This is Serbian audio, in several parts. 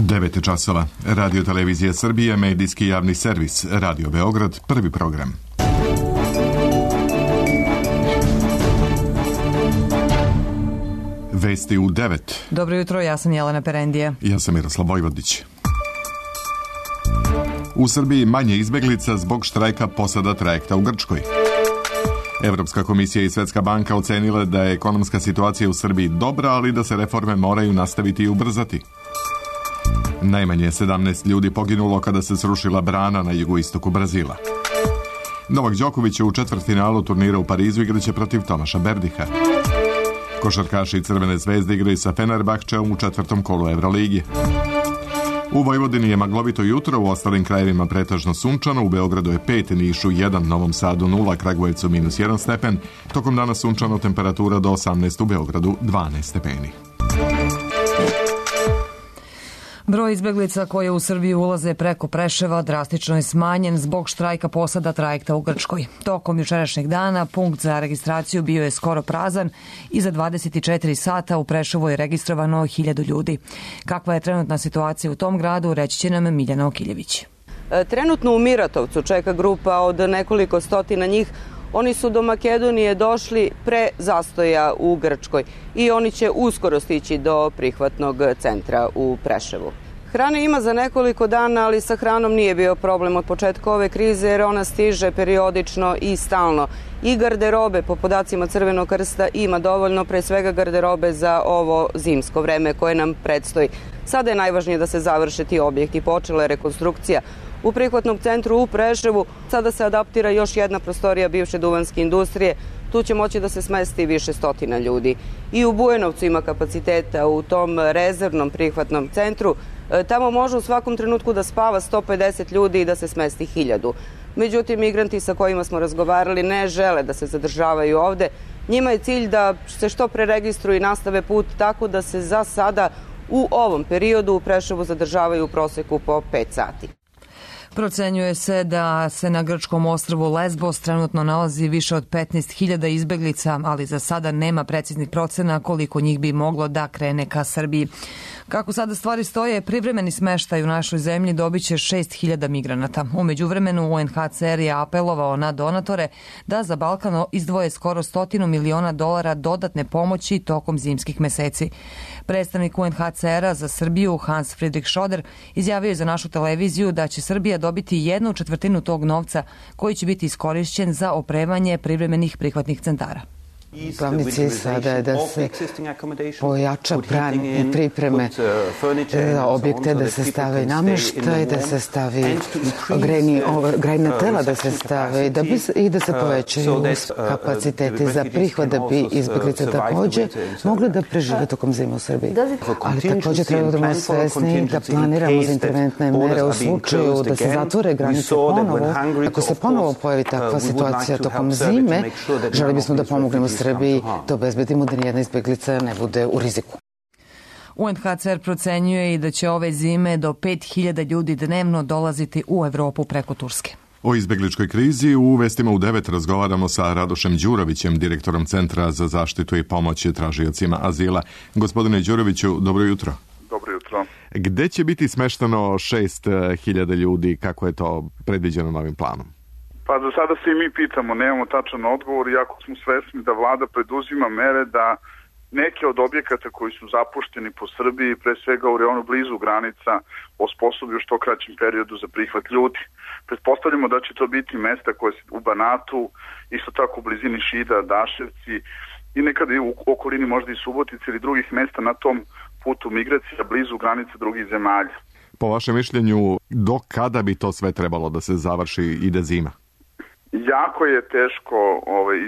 9 časova. Radio Televizija Srbije, medijski javni servis, Radio Beograd, prvi program. Vesti u 9. Dobro jutro, ja sam Jelena Perendija. Ja sam Miroslav Vojvodić. U Srbiji manje izbeglica zbog štrajka posada trajekta u Grčkoj. Evropska komisija i Svetska banka ocenile da je ekonomska situacija u Srbiji dobra, ali da se reforme moraju nastaviti i ubrzati. Najmanje 17 ljudi poginulo kada se srušila brana na jugoistoku Brazila. Novak Đoković u četvrtfinalu turnira u Parizu igraće protiv Tomaša Berdiha. Košarkaši Crvene zvezde igraju sa Fenerbahčeom u četvrtom kolu Evroligi. U Vojvodini je maglovito jutro, u ostalim krajevima pretežno sunčano, u Beogradu je 5, Nišu 1, Novom Sadu 0, Kragujevcu -1 stepen, tokom dana sunčano, temperatura do 18, u Beogradu 12 stepeni. Broj izbeglica koje u Srbiju ulaze preko Preševa drastično je smanjen zbog štrajka posada trajekta u Grčkoj. Tokom jučerašnjeg dana punkt za registraciju bio je skoro prazan i za 24 sata u Preševu je registrovano 1000 ljudi. Kakva je trenutna situacija u tom gradu, reći će nam Miljana Okiljević. Trenutno u Miratovcu čeka grupa od nekoliko stotina njih. Oni su do Makedonije došli pre zastoja u Grčkoj i oni će uskoro stići do prihvatnog centra u Preševu. Hrane ima za nekoliko dana, ali sa hranom nije bio problem od početka ove krize jer ona stiže periodično i stalno. I garderobe, po podacima Crvenog krsta, ima dovoljno, pre svega garderobe za ovo zimsko vreme koje nam predstoji. Sada je najvažnije da se završe ti objekti. Počela je rekonstrukcija u prihvatnom centru u Preševu. Sada se adaptira još jedna prostorija bivše duvanske industrije. Tu će moći da se smesti više stotina ljudi. I u Bujanovcu ima kapaciteta u tom rezervnom prihvatnom centru. Tamo može u svakom trenutku da spava 150 ljudi i da se smesti 1000. Međutim, migranti sa kojima smo razgovarali ne žele da se zadržavaju ovde. Njima je cilj da se što pre registruju i nastave put, tako da se za sada u ovom periodu u Preševu zadržavaju u proseku po 5 sati. Procenjuje se da se na grčkom ostrvu Lesbos trenutno nalazi više od 15.000 izbeglica, ali za sada nema preciznih procena koliko njih bi moglo da krene ka Srbiji. Kako sada stvari stoje, privremeni smeštaj u našoj zemlji dobit će 6.000 migranata. U međuvremenu UNHCR je apelovao na donatore da za Balkan izdvoje skoro $100 miliona dodatne pomoći tokom zimskih meseci. Predstavnik UNHCR-a za Srbiju Hans Friedrich Schroeder izjavio je za našu televiziju da će Srbija dobiti 1/4 tog novca koji će biti iskorišćen za opremanje privremenih prihvatnih centara. Glavni cilj sada je da se pojača pripreme za objekte, da se stave namještaj, da se stavi grejna tela, da se stave i da se povećaju kapaciteti za prihvat, da bi izbeglice takođe mogli da prežive tokom zime u Srbiji. Ali takođe treba da budemo svesni da planiramo za interventne mere u slučaju da se zatvore granice ponovo. Ako se ponovo pojavi takva situacija tokom zime, želi bismo da pomognemo Srbiji da obezbedimo da nijedna izbeglica ne bude u riziku. UNHCR procenjuje i da će ove zime do 5.000 ljudi dnevno dolaziti u Evropu preko Turske. O izbegličkoj krizi u vestima u 9 razgovaramo sa Radošem Đurovićem, direktorom Centra za zaštitu i pomoć tražiocima azila. Gospodine Đuroviću, dobro jutro. Dobro jutro. Gde će biti smeštano 6.000 ljudi, kako je to predviđeno novim planom? Pa za sada se i mi pitamo, nemamo tačan odgovor, iako smo svesni da vlada preduzima mere da neke od objekata koji su zapušteni po Srbiji, pre svega u reonu blizu granica, osposobi u što kraćem periodu za prihvat ljudi. Pretpostavljamo da će to biti mesta koje su u Banatu, isto tako u blizini Šida, Daševci i nekada i u okolini možda i Subotice ili drugih mesta na tom putu migracija blizu granica drugih zemalja. Po vašem mišljenju, do kada bi to sve trebalo da se završi i da zima? Jako je teško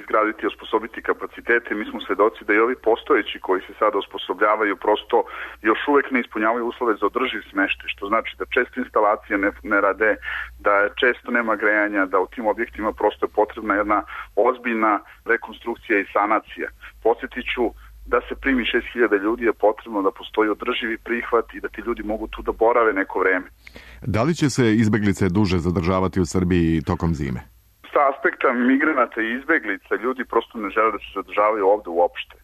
izgraditi i osposobiti kapacitete. Mi smo svedoci da i ovi postojeći koji se sada osposobljavaju prosto još uvek ne ispunjavaju uslove za održiv smeštaj, što znači da često instalacije ne rade, da često nema grejanja, da u tim objektima prosto je potrebna jedna ozbiljna rekonstrukcija i sanacija. Podsjetit ću da se primi 6.000 ljudi je potrebno da postoji održivi prihvat i da ti ljudi mogu tu da borave neko vreme. Da li će se izbeglice duže zadržavati u Srbiji tokom zime? Sa aspekta migranata i izbeglica ljudi prosto ne žele da se zadržavaju ovde uopšte.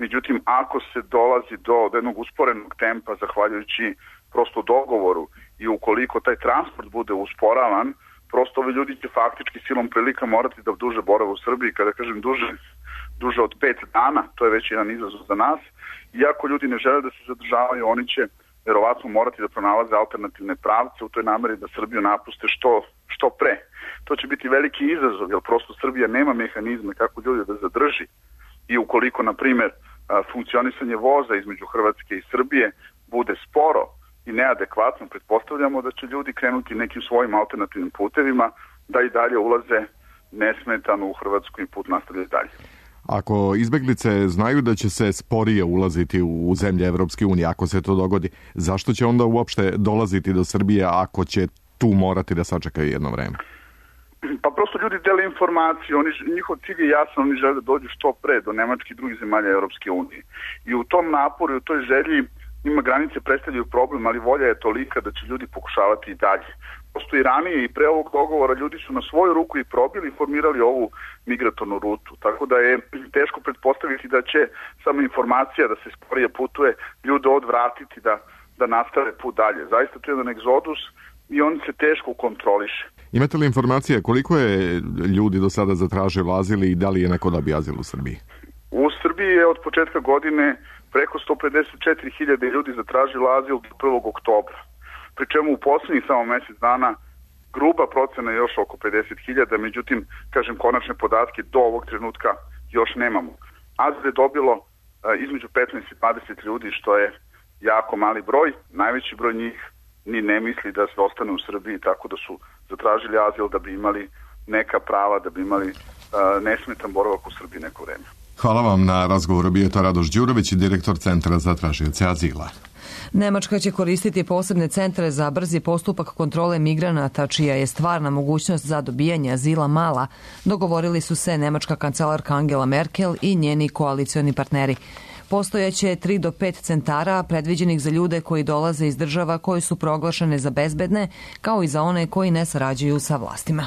Međutim, ako se dolazi do jednog usporenog tempa, zahvaljujući prosto dogovoru i ukoliko taj transport bude usporavan, prosto ovi ljudi će faktički silom prilika morati da duže borave u Srbiji. Kada kažem duže od 5 dana, to je već jedan izazov za nas. Iako ljudi ne žele da se zadržavaju, oni će verovatno morati da pronalaze alternativne pravce u toj nameri da Srbiju napuste što pre. To će biti veliki izazov, jer prosto Srbija nema mehanizme kako ljudi da zadrži. I ukoliko, na primjer, funkcionisanje voza između Hrvatske i Srbije bude sporo i neadekvatno, pretpostavljamo da će ljudi krenuti nekim svojim alternativnim putevima da i dalje ulaze nesmetano u Hrvatsku i put nastavlja dalje. Ako izbeglice znaju da će se sporije ulaziti u zemlje Evropske unije, ako se to dogodi, zašto će onda uopšte dolaziti do Srbije ako će tu morati da sačekaju jedno vreme? Pa prosto ljudi dele informacije, njihov cilj je jasan, oni žele da dođu što pre do Nemačke i drugih zemalja Evropske unije. I u tom naporu i u toj želji njima granice predstavljaju problem, ali volja je tolika da će ljudi pokušavati i dalje. Prosto i ranije i pre ovog dogovora ljudi su na svoju ruku i probili i formirali ovu migratornu rutu. Tako da je teško pretpostaviti da će samo informacija da se sporije putuje ljude odvratiti da nastave put dalje. Zaista to je jedan egzodus i on se teško kontroliše. Imate li informacije koliko je ljudi do sada zatražilo azil i da li je neko dobio azil u Srbiji? U Srbiji je od početka godine preko 154.000 ljudi zatražilo azil do 1. oktobra. Pri čemu u poslednjih samo mesec dana gruba procena je još oko 50.000, međutim, kažem, konačne podatke do ovog trenutka još nemamo. Azil je dobilo između 15 i 20 ljudi, što je jako mali broj. Najveći broj njih ni ne misli da se ostane u Srbiji, tako da su zatražili azil da bi imali neka prava, da bi imali nesmetan boravak u Srbiji neko vreme. Hvala vam na razgovoru. Bio je to Radoš Đurović, direktor Centra za tražioce azila. Nemačka će koristiti posebne centre za brzi postupak kontrole migranata, čija je stvarna mogućnost za dobijanje azila mala. Dogovorili su se nemačka kancelarka Angela Merkel i njeni koalicioni partneri. Postojaće 3 do 5 centara predviđenih za ljude koji dolaze iz država koje su proglašene za bezbedne, kao i za one koji ne sarađuju sa vlastima.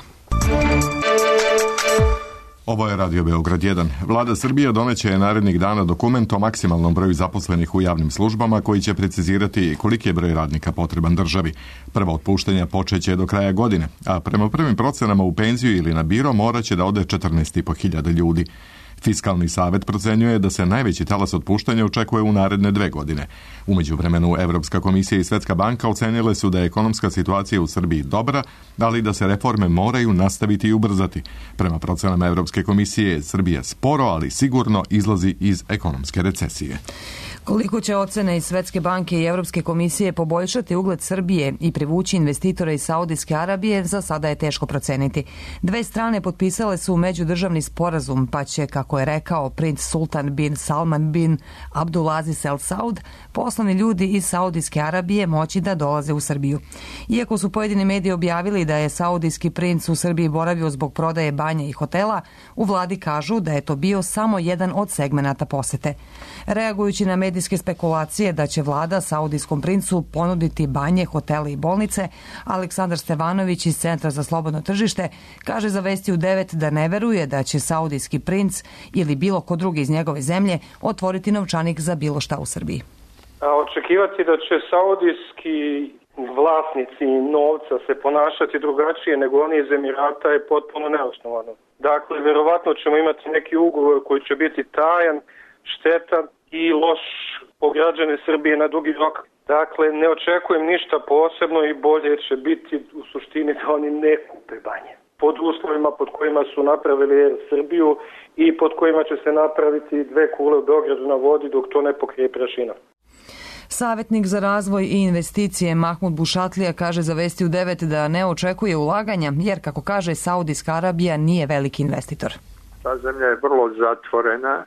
Ovo je Radio Beograd 1. Vlada Srbije doneće narednih dana dokument o maksimalnom broju zaposlenih u javnim službama koji će precizirati koliki je broj radnika potreban državi. Prva otpuštanja počeće do kraja godine, a prema prvim procenama u penziju ili na biro moraće da ode 14.500 ljudi. Fiskalni savet procenjuje da se najveći talas otpuštanja očekuje u naredne 2 godine. U međuvremenu Evropska komisija i Svetska banka ocenile su da je ekonomska situacija u Srbiji dobra, ali da se reforme moraju nastaviti i ubrzati. Prema procenama Evropske komisije, Srbija sporo, ali sigurno izlazi iz ekonomske recesije. Koliko će ocene iz Svetske banke i Evropske komisije poboljšati ugled Srbije i privući investitore iz Saudijske Arabije, za sada je teško proceniti. 2 strane potpisale su međudržavni sporazum, pa će, kako je rekao princ Sultan bin Salman bin Abdulaziz Al Saud, poslovni ljudi iz Saudijske Arabije moći da dolaze u Srbiju. Iako su pojedini mediji objavili da je saudijski princ u Srbiji boravio zbog prodaje banja i hotela, u vladi kažu da je to bio samo jedan od segmenata posete. Reagujući na medijske spekulacije da će vlada saudijskom princu ponuditi banje, hotele i bolnice, Aleksandar Stevanović iz Centra za slobodno tržište kaže za Vesti u 9 da ne veruje da će saudijski princ ili bilo ko drugi iz njegove zemlje otvoriti novčanik za bilo šta u Srbiji. Očekivati da će saudijski vlasnici novca se ponašati drugačije nego oni iz Emirata je potpuno neosnovano. Dakle, verovatno ćemo imati neki ugovor koji će biti tajan, štetan i loš po građane Srbije na dugi rok. Dakle, ne očekujem ništa posebno i bolje će biti u suštini da oni ne kupe banje. Pod uslovima pod kojima su napravili Srbiju i pod kojima će se napraviti 2 kule u Beogradu na vodi dok to ne pokrije prašina. Savjetnik za razvoj i investicije Mahmud Bušatlija kaže za Vesti u 9 da ne očekuje ulaganja, jer, kako kaže, Saudijska Arabija nije veliki investitor. Ta zemlja je vrlo zatvorena,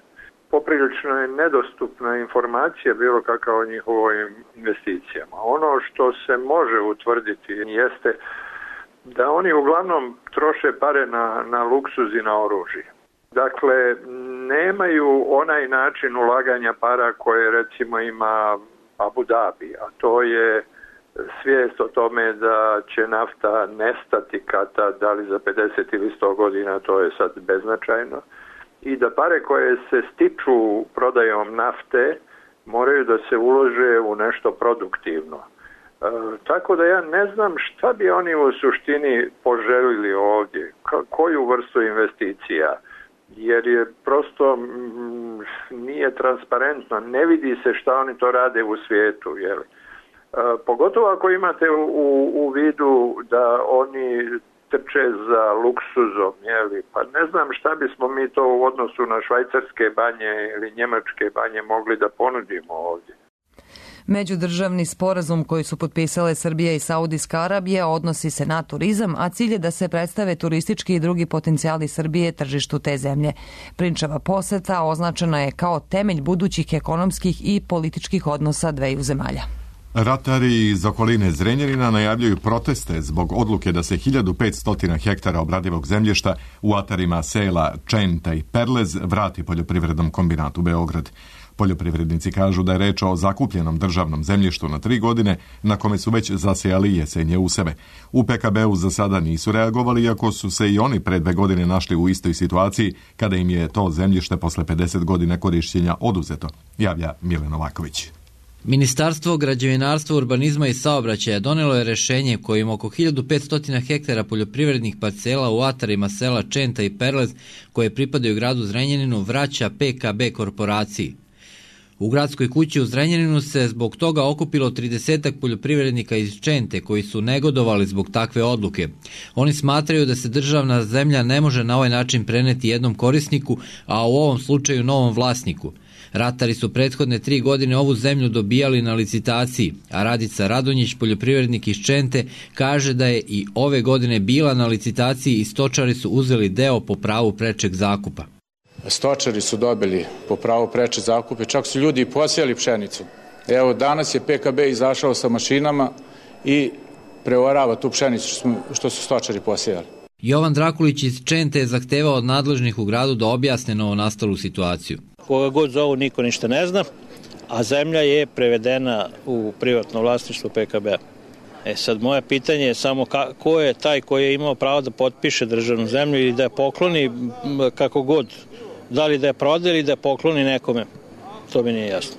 poprilično je nedostupna informacija bilo kakva o njihovim investicijama. Ono što se može utvrditi jeste da oni uglavnom troše pare na luksuz i na oružje. Dakle, nemaju onaj način ulaganja para koje recimo ima Abu Dhabi, a to je svijest o tome da će nafta nestati kada, da li za 50 ili 100 godina, to je sad beznačajno, i da pare koje se stiču prodajom nafte moraju da se ulože u nešto produktivno. Tako da ja ne znam šta bi oni u suštini poželili ovdje, koju vrstu investicija, jer je prosto nije transparentno, ne vidi se šta oni to rade u svijetu, jel? Pogotovo ako imate u vidu da oni trče za luksuzom, jeli? Pa ne znam šta bismo mi to u odnosu na švajcarske banje ili njemačke banje mogli da ponudimo ovdje. Međudržavni sporazum koji su potpisale Srbija i Saudijska Arabija odnosi se na turizam, a cilj je da se predstave turistički i drugi potencijali Srbije tržištu te zemlje. Prinčeva poseta označena je kao temelj budućih ekonomskih i političkih odnosa dveju zemalja. Ratari iz okoline Zrenjanina najavljuju proteste zbog odluke da se 1500 hektara obradivog zemljišta u atarima sela Čenta i Perlez vrati poljoprivrednom kombinatu Beograd. Poljoprivrednici kažu da je reč o zakupljenom državnom zemljištu na 3 godine na kome su već zasejali jesenje useve. U PKB-u za sada nisu reagovali, iako su se i oni pre 2 godine našli u istoj situaciji kada im je to zemljište posle 50 godina korišćenja oduzeto, javlja Milen Novaković. Ministarstvo građevinarstva, urbanizma i saobraćaja donelo je rešenje kojim oko 1500 hektara poljoprivrednih parcela u atarima sela Čenta i Perlez, koje pripadaju gradu Zrenjaninu, vraća PKB korporaciji. U gradskoj kući u Zrenjaninu se zbog toga okupilo 30 poljoprivrednika iz Čente koji su negodovali zbog takve odluke. Oni smatraju da se državna zemlja ne može na ovaj način preneti jednom korisniku, a u ovom slučaju novom vlasniku. Ratari su prethodne 3 godine ovu zemlju dobijali na licitaciji, a Radica Radonjić, poljoprivrednik iz Čente, kaže da je i ove godine bila na licitaciji i stočari su uzeli deo po pravu prečeg zakupa. Stočari su dobili po pravu preče zakupe, čak su ljudi posijali pšenicu. Evo, danas je PKB izašao sa mašinama i preorava tu pšenicu što su stočari posijali. Jovan Drakulić iz Čente je zahtevao od nadležnih u gradu da objasne novonastalu situaciju. Koga god zovu niko ništa ne zna, a zemlja je prevedena u privatno vlasništvo PKB-a. Sad moje pitanje je samo ko je taj koji je imao pravo da potpiše državnu zemlju ili da je pokloni kako god, da li da je prodaje ili da je pokloni nekome, to mi nije jasno.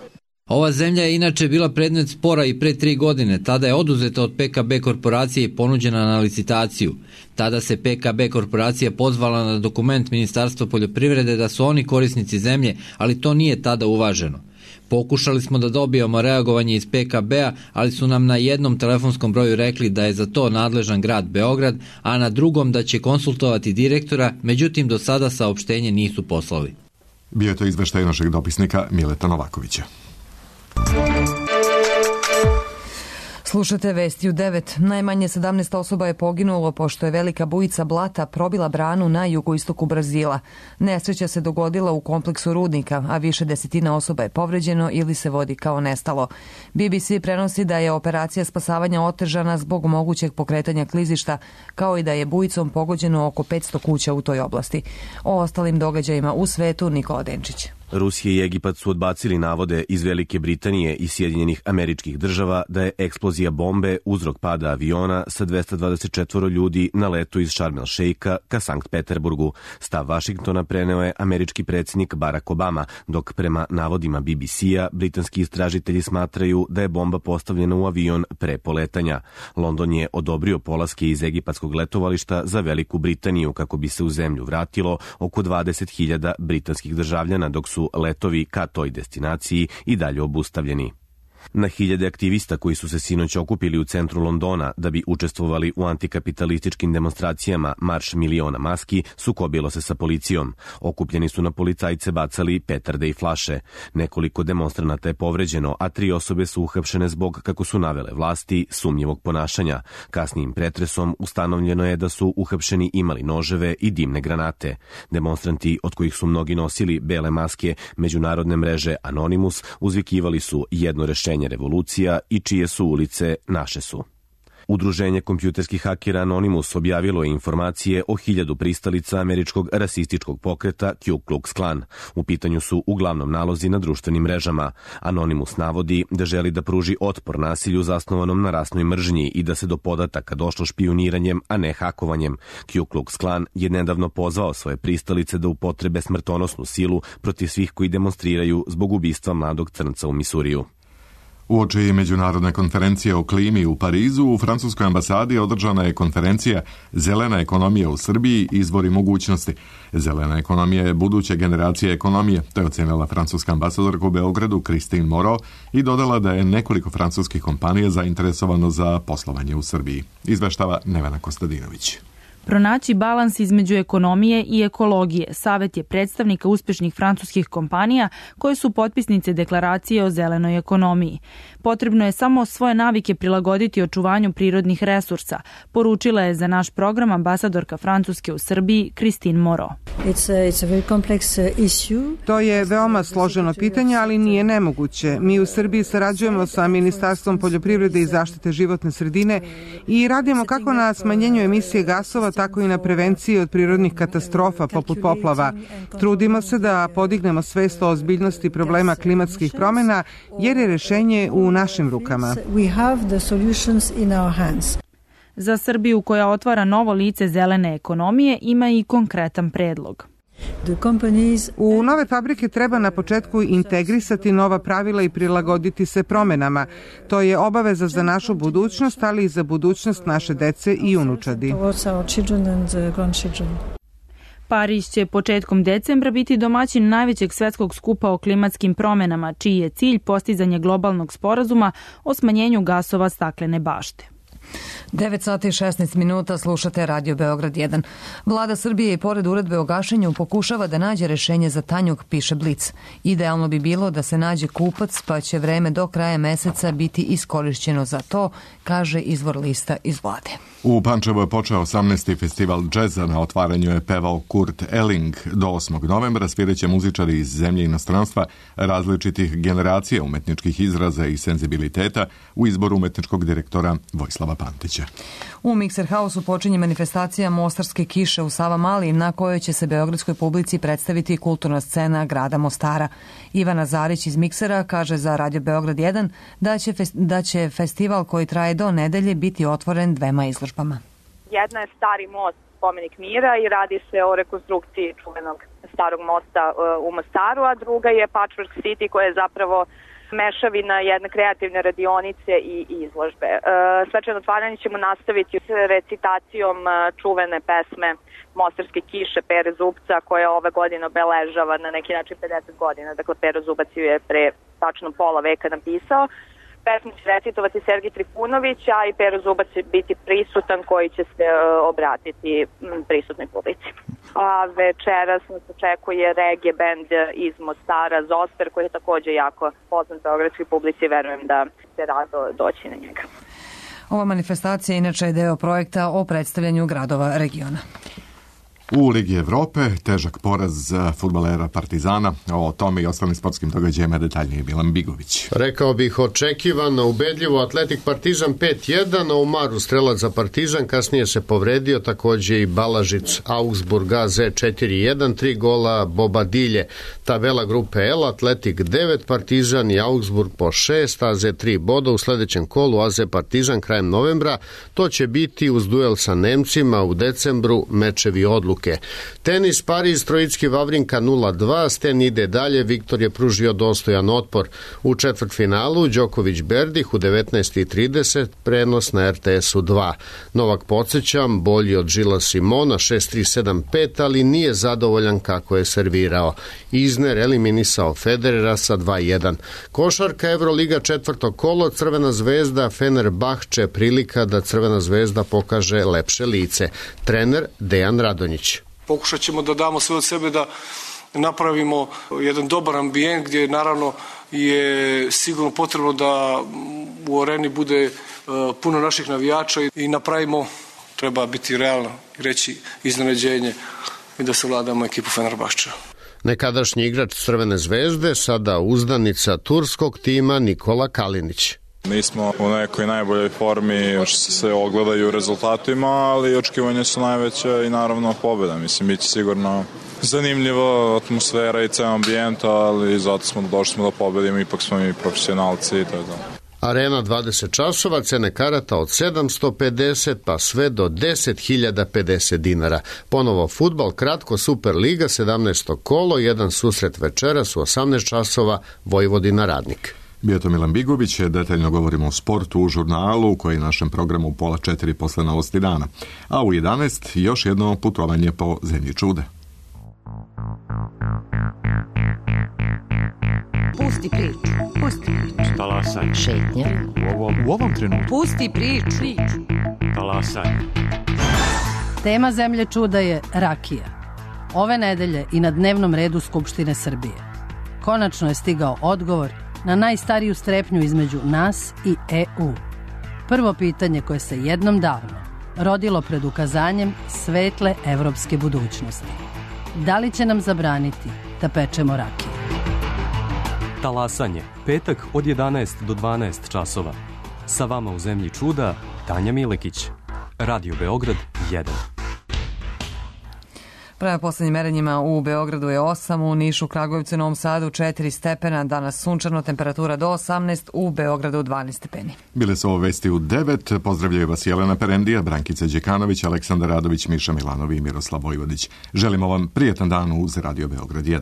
Ova zemlja je inače bila predmet spora i pre 3 godine. Tada je oduzeta od PKB korporacije i ponuđena na licitaciju. Tada se PKB korporacija pozvala na dokument Ministarstva poljoprivrede da su oni korisnici zemlje, ali to nije tada uvaženo. Pokušali smo da dobijemo reagovanje iz PKB-a, ali su nam na jednom telefonskom broju rekli da je za to nadležan grad Beograd, a na drugom da će konsultovati direktora, međutim do sada saopštenje nisu poslali. Bio je to izveštaj našeg dopisnika Mileta Novakovića. Slušate vesti u 9. Najmanje 17 osoba je poginulo pošto je velika bujica blata probila branu na jugoistoku Brazila. Nesreća se dogodila u kompleksu rudnika, a više desetina osoba je povređeno ili se vodi kao nestalo. BBC prenosi da je operacija spasavanja otežana zbog mogućeg pokretanja klizišta, kao i da je bujicom pogođeno oko 500 kuća u toj oblasti. O ostalim događajima u svetu Nikola Denčić. Rusija i Egipat su odbacili navode iz Velike Britanije i Sjedinjenih Američkih Država da je eksplozija bombe uzrok pada aviona sa 224 ljudi na letu iz Šarm el Šeika ka Sankt Peterburgu. Stav Vašingtona preneo je američki predsjednik Barack Obama, dok prema navodima BBC-a britanski istražitelji smatraju da je bomba postavljena u avion pre poletanja. London je odobrio polaske iz egipatskog letovališta za Veliku Britaniju kako bi se u zemlju vratilo oko 20.000 britanskih državljana, dok su letovi ka toj destinaciji i dalje obustavljeni. Na hiljade aktivista koji su se sinoć okupili u centru Londona da bi učestvovali u antikapitalističkim demonstracijama Marš miliona maski sukobilo se sa policijom. Okupljeni su na policajce bacali petarde i flaše. Nekoliko demonstranata je povređeno, a 3 osobe su uhapšene zbog, kako su navele vlasti, sumnjivog ponašanja. Kasnijim pretresom ustanovljeno je da su uhapšeni imali noževe i dimne granate. Demonstranti, od kojih su mnogi nosili bele maske, međunarodne mreže Anonymous, uzvikivali su jedno rešenje revolucija i čije su ulice naše su. Udruženje kompjuterskih hakera Anonymous objavilo je informacije o 1000 pristalica američkog rasističkog pokreta Ku Klux Klan. U pitanju su uglavnom nalozi na društvenim mrežama. Anonymous navodi da želi da pruži otpor nasilju zasnovanom na rasnoj mržnji i da se do podataka došlo špijuniranjem, a ne hakovanjem. Ku Klux Klan je nedavno pozvao svoje pristalice da upotrebe smrtonosnu silu protiv svih koji demonstriraju zbog ubistva mladog crnca u Misuriju. Uoči međunarodne konferencije o klimi u Parizu, u francuskoj ambasadi održana je konferencija Zelena ekonomija u Srbiji, izvori mogućnosti. Zelena ekonomija je buduće generacije ekonomije, to je ocenila francuska ambasadorka u Beogradu Christine Moreau i dodala da je nekoliko francuskih kompanija zainteresovano za poslovanje u Srbiji. Izveštava Nevena Kostadinović. Pronaći balans između ekonomije i ekologije savet je predstavnika uspešnih francuskih kompanija koje su potpisnice deklaracije o zelenoj ekonomiji. Potrebno je samo svoje navike prilagoditi očuvanju prirodnih resursa, poručila je za naš program ambasadorka Francuske u Srbiji Christine Moreau. To je veoma složeno pitanje, ali nije nemoguće. Mi u Srbiji sarađujemo sa Ministarstvom poljoprivrede i zaštite životne sredine i radimo kako na smanjenju emisije gasova, tako i na prevenciji od prirodnih katastrofa poput poplava. Trudimo se da podignemo svest o ozbiljnosti problema klimatskih promjena, jer je rešenje u našim rukama. Za Srbiju, koja otvara novo lice zelene ekonomije, ima i konkretan predlog. U nove fabrike treba na početku integrisati nova pravila i prilagoditi se promenama. To je obaveza za našu budućnost, ali i za budućnost naše dece i unučadi. Pariz će početkom decembra biti domaćin najvećeg svetskog skupa o klimatskim promenama, čiji je cilj postizanje globalnog sporazuma o smanjenju gasova staklene bašte. 9 sati i 16 minuta, slušate Radio Beograd 1. Vlada Srbije i pored uredbe o gašenju pokušava da nađe rešenje za Tanjug, piše Blic. Idealno bi bilo da se nađe kupac, pa će vreme do kraja meseca biti iskorišćeno za to, kaže izvor lista iz vlade. U Pančevu je počeo 18. festival džeza, na otvaranju je pevao Kurt Elling. Do 8. novembra sviraće muzičari iz zemlje i inostranstva različitih generacija umetničkih izraza i senzibiliteta u izboru umetničkog direktora Vojislava Pantića. U Mikser Hausu počinje manifestacija Mostarske kiše u Savamali, na kojoj će se beogradskoj publici predstaviti kulturna scena grada Mostara. Ivana Zarić iz Miksera kaže za Radio Beograd 1 da će festival koji traje do nedelje biti otvoren dvema izložbama. Jedna je Stari most, spomenik mira, i radi se o rekonstrukciji čuvenog starog mosta u Mostaru, a druga je Patchwork City, koja je zapravo mešavina jedne kreativne radionice i izložbe. Svečano otvaranje ćemo nastaviti s recitacijom čuvene pesme Mostarske kiše Pere Zubca, koja ove godine obeležava na neki način 50 godina. Dakle, Pero Zubac ju je pre tačno pola veka napisao. Pesmu će recitovati Sergij Trifunović, a i Pero Zubac će biti prisutan, koji će se obratiti prisutnoj publici. A večeras nas očekuje reggae band iz Mostara, Zoster, koji je također jako poznat beogradskoj publici, verujem da se rado doći na njega. Ova manifestacija inače je deo projekta o predstavljanju gradova regiona. U Ligi Evrope težak poraz fudbalera Partizana. O tome i ostalim sportskim događajima detaljnije Milan Bigović. Rekao bih očekivano, ubedljivo Atletik Partizan 5-1, a u Maru strelac za Partizan, kasnije se povredio, također i Balažic Augsburg AZ 4-1, 3 gola Bobadilje. Tabela grupe L, Atletik 9, Partizan i Augsburg po 6, AZ 3 boda u sledećem kolu, AZ Partizan krajem novembra. To će biti uz duel sa Nemcima u decembru, mečevi odluke. Tenis Pariz, Trojicki Vavrinka 0-2, Sten ide dalje, Viktor je pružio dostojan otpor. U četvrtfinalu Đoković Berdih u 19:30, prenos na RTS-u 2. Novak, podsjećam, bolji od Žila Simona 6-3-7-5, ali nije zadovoljan kako je servirao. Izner eliminisao Federera sa 2-1. Košarka Evroliga četvrto kolo, Crvena zvezda Fenerbahče, prilika da Crvena zvezda pokaže lepše lice. Trener Dejan Radonjić. Pokušat ćemo da damo sve od sebe da napravimo jedan dobar ambijent gdje naravno je sigurno potrebno da u areni bude puno naših navijača i napravimo, treba biti realno i reći, iznenađenje i da savladamo ekipu Fenerbahča. Nekadašnji igrač Crvene zvezde, sada uzdanica turskog tima Nikola Kalinić. Nismo u nekoj najboljoj formi što se ogledaju u rezultatima, ali očekivanja su najveća i naravno pobjeda. Mislim, bit će sigurno zanimljiva atmosfera i ceo ambijent, ali zato došli smo da pobedimo, ipak smo mi profesionalci i to je to. Arena 20 časova, cene karata od 750 pa sve do 10.050 dinara. Ponovo fudbal, kratko Superliga, 17. kolo, jedan susret večeras u 18 časova, Vojvodina Radnik. Bio to Milan Bigović, detaljno govorimo o sportu u žurnalu koji je našem programu u 3:30 posle novosti dana. A u 11 još jedno putovanje po zemlji čuda. Pusti priču. Talasaj. Šetnja. U ovom trenutku. Pusti priču. Talasaj. Tema zemlje čuda je rakija. Ove nedelje i na dnevnom redu Skupštine Srbije. Konačno je stigao odgovor na najstariju strepnju između nas i EU. Prvo pitanje koje se jednom davno rodilo pred ukazanjem svetle evropske budućnosti. Da li će nam zabraniti da pečemo rakiju? Talasanje, petak od 11 do 12 časova. Sa vama u zemlji čuda, Tanja Milekić. Radio Beograd 1. Prema poslednjim merenjima u Beogradu je 8, u Nišu, Kragujevcu i Novom Sadu 4 stepena, danas sunčano, temperatura do 18, u Beogradu 12 stepeni. Bile su ovo vesti u 9, pozdravljaju vas Jelena Perendija, Brankica Đekanović, Aleksandar Radović, Miša Milanovi i Miroslav Vojvodić. Želimo vam prijetan dan uz Radio Beograd 1.